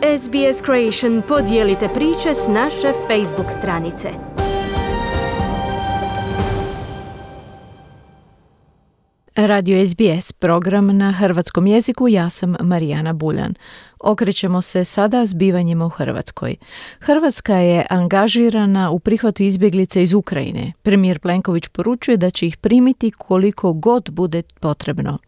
SBS Creation podijelite priče s naše Facebook stranice. Radio SBS, program na hrvatskom jeziku, ja sam Marijana Buljan. Okrećemo se sada zbivanjima u Hrvatskoj. Hrvatska je angažirana u prihvatu izbjeglica iz Ukrajine. Premijer Plenković poručuje da će ih primiti koliko god bude potrebno.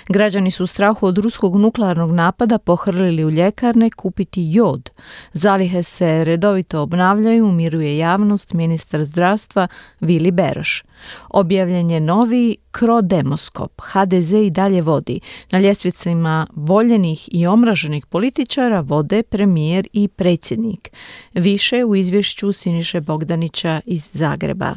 Građani su u strahu od ruskog nuklearnog napada pohrlili u ljekarne kupiti jod. Zalihe se redovito obnavljaju, umiruje javnost ministar zdravstva Vili Beroš. Objavljen je novi Crodemoskop. HDZ i dalje vodi. Na ljestvicama voljenih i omraženih političara vode premijer i predsjednik. Više u izvješću Siniše Bogdanića iz Zagreba.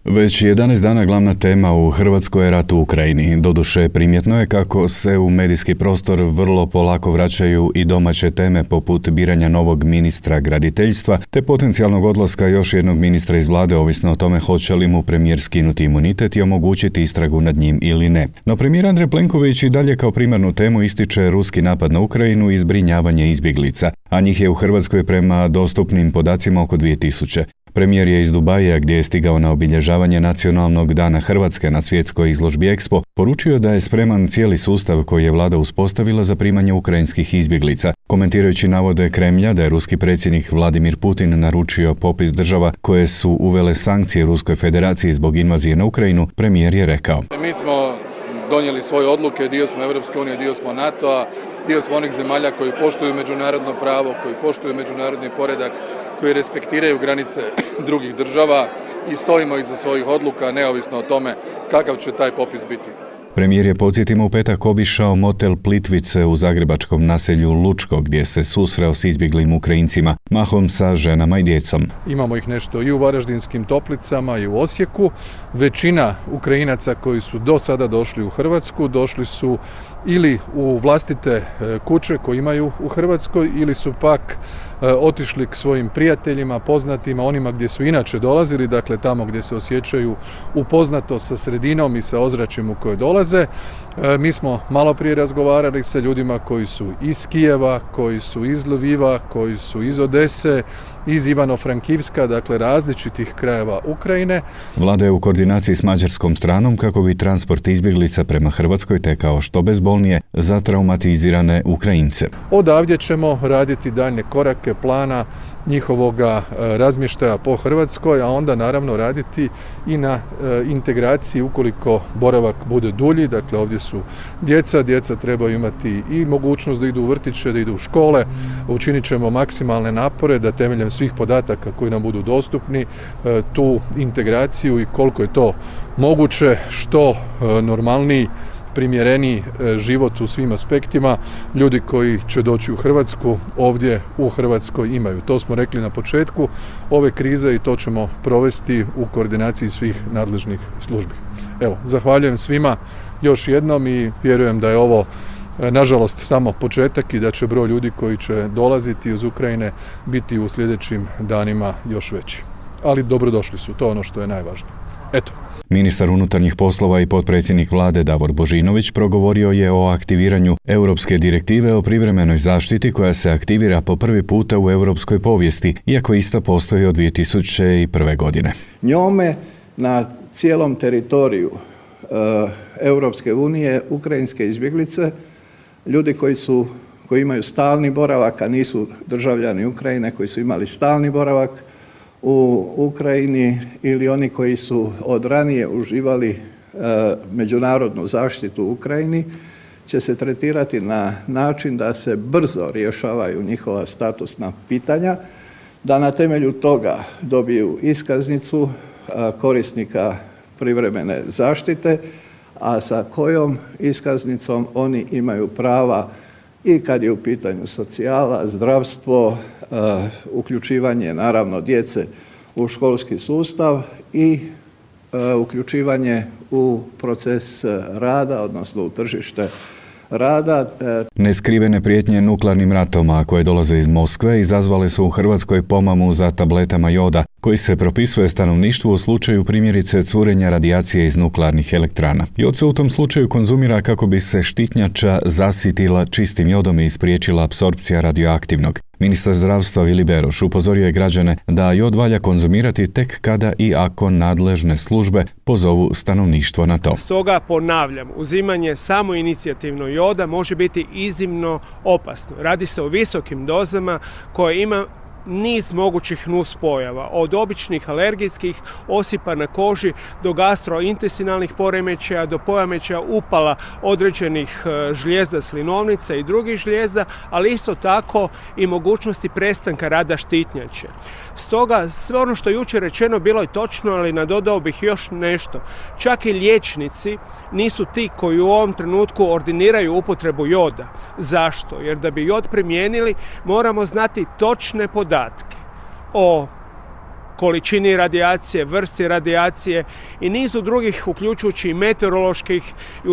Već 11 dana glavna tema u Hrvatskoj je rat u Ukrajini. Doduše, primjetno je kako se u medijski prostor vrlo polako vraćaju i domaće teme poput biranja novog ministra graditeljstva te potencijalnog odlaska još jednog ministra iz vlade, ovisno o tome hoće li mu premijer skinuti imunitet i omogućiti istragu nad njim ili ne. No premijer Andrej Plenković i dalje kao primarnu temu ističe ruski napad na Ukrajinu i zbrinjavanje izbjeglica, a njih je u Hrvatskoj prema dostupnim podacima oko 2000. Premijer je iz Dubaja, gdje je stigao na obilježavanje Nacionalnog dana Hrvatske na svjetskoj izložbi Expo, poručio da je spreman cijeli sustav koji je vlada uspostavila za primanje ukrajinskih izbjeglica. Komentirajući navode Kremlja da je ruski predsjednik Vladimir Putin naručio popis država koje su uvele sankcije Ruskoj federaciji zbog invazije na Ukrajinu, premijer je rekao: Mi smo donijeli svoje odluke, dio smo Europske unije, dio smo NATO-a, dio smo onih zemalja koji poštuju međunarodno pravo, koji poštuju međunarodni poredak, koji respektiraju granice drugih država i stojimo iza svojih odluka neovisno o tome kakav će taj popis biti. Premijer je, podsjetimo, u petak obišao motel Plitvice u zagrebačkom naselju Lučko, gdje se susreo s izbjeglim Ukrajincima, mahom sa ženama i djecom. Imamo ih nešto i u Varaždinskim Toplicama i u Osijeku. Većina Ukrajinaca koji su do sada došli u Hrvatsku, došli su ili u vlastite kuće koje imaju u Hrvatskoj ili su pak otišli k svojim prijateljima, poznatima, onima gdje su inače dolazili, dakle tamo gdje se osjećaju upoznato sa sredinom i sa ozračjem u koje dolaze. Mi smo malo prije razgovarali sa ljudima koji su iz Kijeva, koji su iz Lviva, koji su iz Odese, iz Ivano-Frankivska, dakle različitih krajeva Ukrajine. Vlada je u koordinaciji s mađarskom stranom kako bi transport izbjeglica prema Hrvatskoj tekao što bezbolnije za traumatizirane Ukrajince. Odavdje ćemo raditi daljnje korake plana njihovoga razmještaja po Hrvatskoj, a onda naravno raditi i na integraciji ukoliko boravak bude dulji. Dakle, ovdje su djeca trebaju imati i mogućnost da idu u vrtiće, da idu u škole. Učinit ćemo maksimalne napore da temeljem svih podataka koji nam budu dostupni tu integraciju i koliko je to moguće što normalniji, primjereniji život u svim aspektima ljudi koji će doći u Hrvatsku ovdje u Hrvatskoj imaju. To smo rekli na početku ove krize i to ćemo provesti u koordinaciji svih nadležnih službi. Evo, zahvaljujem svima još jednom i vjerujem da je ovo nažalost samo početak i da će broj ljudi koji će dolaziti iz Ukrajine biti u sljedećim danima još veći. Ali dobrodošli su, to je ono što je najvažnije. Eto. Ministar unutarnjih poslova i potpredsjednik vlade Davor Božinović progovorio je o aktiviranju Europske direktive o privremenoj zaštiti koja se aktivira po prvi puta u europskoj povijesti, iako ista postoji od 2001. godine. Njome na cijelom teritoriju Europske unije ukrajinske izbjeglice, ljudi koji imaju stalni boravak, a nisu državljani Ukrajine, koji su imali stalni boravak u Ukrajini ili oni koji su od ranije uživali međunarodnu zaštitu u Ukrajini, će se tretirati na način da se brzo rješavaju njihova statusna pitanja, da na temelju toga dobiju iskaznicu korisnika privremene zaštite, a sa kojom iskaznicom oni imaju prava i kad je u pitanju socijala, zdravstvo, uključivanje naravno djece u školski sustav i uključivanje u proces rada, odnosno u tržište rada. Neskrivene prijetnje nuklearnim ratom, a koje dolaze iz Moskve, izazvale su u Hrvatskoj pomamu za tabletama joda, koji se propisuje stanovništvu u slučaju primjerice curenja radijacije iz nuklearnih elektrana. Jod se u tom slučaju konzumira kako bi se štitnjača zasitila čistim jodom i spriječila apsorpcija radioaktivnog. Ministar zdravstva Vili Beroš upozorio je građane da jod valja konzumirati tek kada i ako nadležne službe pozovu stanovništvo na to. Stoga ponavljam, uzimanje samoinicijativno joda može biti iznimno opasno. Radi se o visokim dozama koje ima niz mogućih nuspojava, od običnih alergijskih osipa na koži do gastrointestinalnih poremećaja, do poremećaja upala određenih žlijezda slinovnica i drugih žlijezda, ali isto tako i mogućnosti prestanka rada štitnjače. Stoga sve ono što je jučer rečeno bilo je točno, ali nadodao bih još nešto. Čak i liječnici nisu ti koji u ovom trenutku ordiniraju upotrebu joda. Zašto? Jer da bi jod primijenili moramo znati točne podatke o količini radijacije, vrsti radijacije i nizu drugih, uključujući i meteoroloških i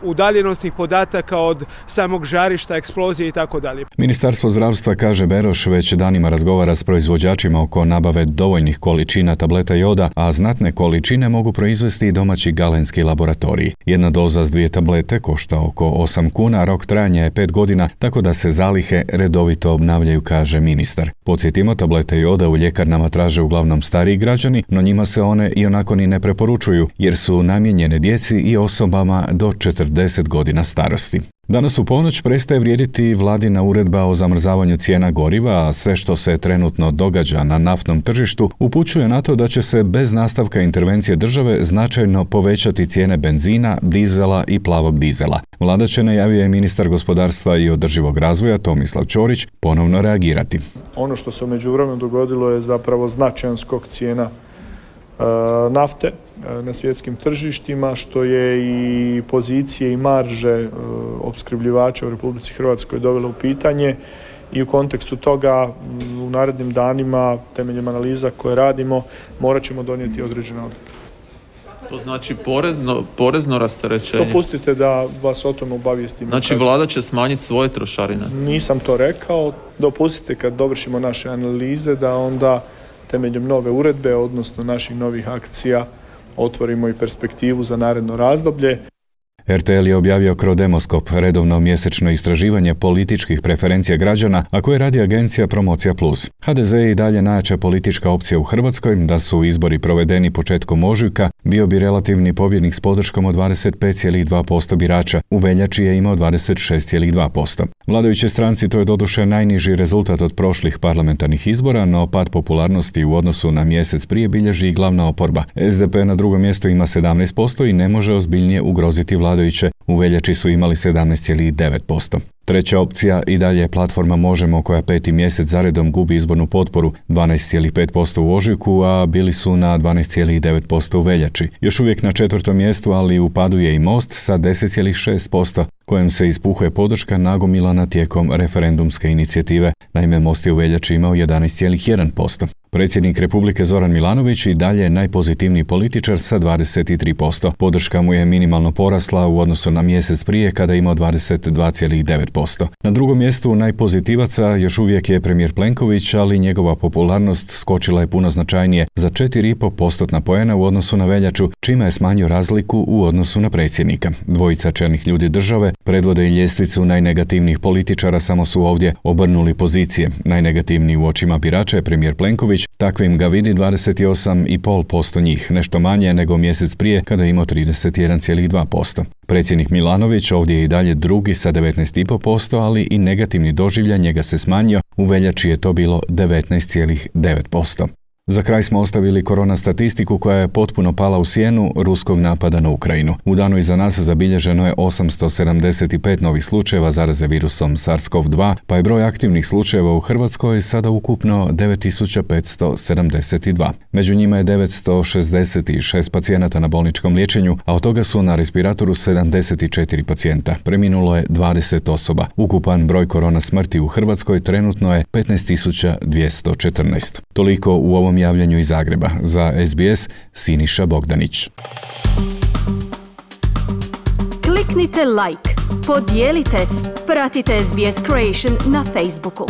udaljenosnih podataka od samog žarišta, eksplozije itd. Ministarstvo zdravstva, kaže Beroš, već danima razgovara s proizvođačima oko nabave dovoljnih količina tableta joda, a znatne količine mogu proizvesti i domaći galenski laboratoriji. Jedna doza s 2 tablete košta oko 8 kuna, rok trajanja je 5 godina, tako da se zalihe redovito obnavljaju, kaže ministar. Podsjetimo, tablete joda u ljekarnama traže uglavnom stariji građani, no njima se one i onako ni ne preporučuju, jer su namijenjene djeci i osobama do 40 godina starosti. Danas u ponoć prestaje vrijediti vladina uredba o zamrzavanju cijena goriva, a sve što se trenutno događa na naftnom tržištu upućuje na to da će se bez nastavka intervencije države značajno povećati cijene benzina, dizela i plavog dizela. Vlada će, najavio je ministar gospodarstva i održivog razvoja Tomislav Ćorić, ponovno reagirati. Ono što se u međuvremenu dogodilo je zapravo značajan skok cijena nafte na svjetskim tržištima, što je i pozicije i marže opskrbljivača u Republici Hrvatskoj dovelo u pitanje i u kontekstu toga u narednim danima, temeljem analiza koje radimo, morat ćemo donijeti određene odluke. To znači porezno rasterećenje? Dopustite da vas o tome obavijestim. Znači vlada će smanjiti svoje trošarine? Nisam to rekao. Dopustite kad dovršimo naše analize da onda temeljem nove uredbe, odnosno naših novih akcija, otvorimo i perspektivu za naredno razdoblje. RTL je objavio Crodemoskop, redovno mjesečno istraživanje političkih preferencija građana, a koje radi agencija Promocija Plus. HDZ je i dalje najjača politička opcija u Hrvatskoj. Da su izbori provedeni početkom ožujka, bio bi relativni pobjednik s podrškom od 25,2% birača. U veljači je imao 26,2%. Vladajućoj stranci to je doduše najniži rezultat od prošlih parlamentarnih izbora, no pad popularnosti u odnosu na mjesec prije bilježi i glavna oporba. SDP na drugom mjestu ima 17% i ne može ozbiljnije ugroziti vladajuće. U veljači su imali 17,9%. Treća opcija i dalje je platforma Možemo, koja 5. mjesec zaredom gubi izbornu potporu, 12,5% u ožujku, a bili su na 12,9% u veljači. Još uvijek na 4. mjestu, ali u padu je i Most sa 10,6%, kojem se ispuhuje podrška nagomilana tijekom referendumske inicijative. Naime, Most je u veljači imao 11,1%. Predsjednik Republike Zoran Milanović i dalje je najpozitivniji političar sa 23%. Podrška mu je minimalno porasla u odnosu na mjesec prije kada je imao 22,9%. Na drugom mjestu najpozitivaca još uvijek je premijer Plenković, ali njegova popularnost skočila je puno značajnije za 4,5% poena u odnosu na veljaču, čime je smanjio razliku u odnosu na predsjednika. Dvojica čelnih ljudi države predvode i ljestvicu najnegativnijih političara, samo su ovdje obrnuli pozicije. Najnegativniji u očima birača je premijer Plenković, takvim ga vidi 28,5% njih, nešto manje nego mjesec prije kada je imao 31,2%. Predsjednik Milanović ovdje je i dalje drugi sa 19,5%, ali i negativni doživljaj njega se smanjio, u veljači je to bilo 19,9%. Za kraj smo ostavili korona statistiku koja je potpuno pala u sjenu ruskog napada na Ukrajinu. U danu iza nas zabilježeno je 875 novih slučajeva zaraze virusom SARS-CoV-2, pa je broj aktivnih slučajeva u Hrvatskoj sada ukupno 9572. Među njima je 966 pacijenata na bolničkom liječenju, a od toga su na respiratoru 74 pacijenta. Preminulo je 20 osoba. Ukupan broj korona smrti u Hrvatskoj trenutno je 15.214. Toliko u ovom javljanju iz Zagreba. Za SBS, Siniša Bogdanić. Kliknite like, podijelite, pratite SBS Creation na Facebooku.